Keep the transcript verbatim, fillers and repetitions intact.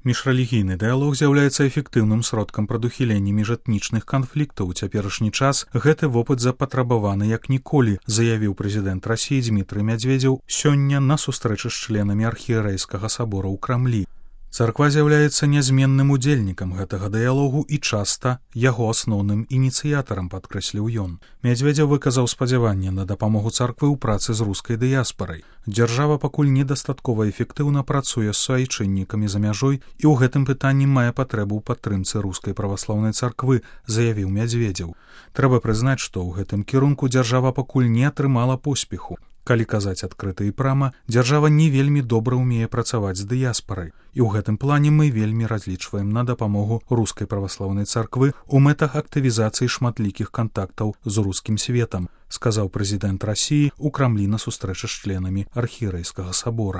Міжрэлігійны дыялог з'яўляецца эфектыўным сродкам прадухілення міжэтнічных канфліктаў. У цяперашні час гэты вопыт запатрабаваны як ніколі, заявіў прэзідэнт Расіі Дзмітрый Мядзведзеў сёння на сустрэчы з членамі архієрэйскага сабора ў Крамлі. Царква з'яўляецца нязменным удзельнікам гэтага дыялогу і часта яго асноўным ініцыятарам, падкрэсліў ён. Мядзведзеў выказаў спадзяванне на дапамогу царквы ў працы з рускай дыяспарай. Дзяржава пакуль недастаткова эфектыўна працуе з суайчыннікамі за мяжой і ў гэтым пытанні мае патрэбу ў падтрымцы рускай праваслаўнай царквы, заявіў Мядзведзеў. Трэба прызнаць, што ў гэтым кірунку дзяржава пакуль не атрымала поспеху. Калі казаць адкрыта і прама, дзяржава не вельмі добра ўмее працаваць з дыяспарай. І ў гэтым плане мы вельмі разлічваем на дапамогу рускай праваслаўнай царквы ў мэтах актывізацыі шматлікіх кантактаў з рускім светам, сказаў прэзідэнт Расіі ў Крамлі на сустрэчы з членамі архієрэйскага сабора.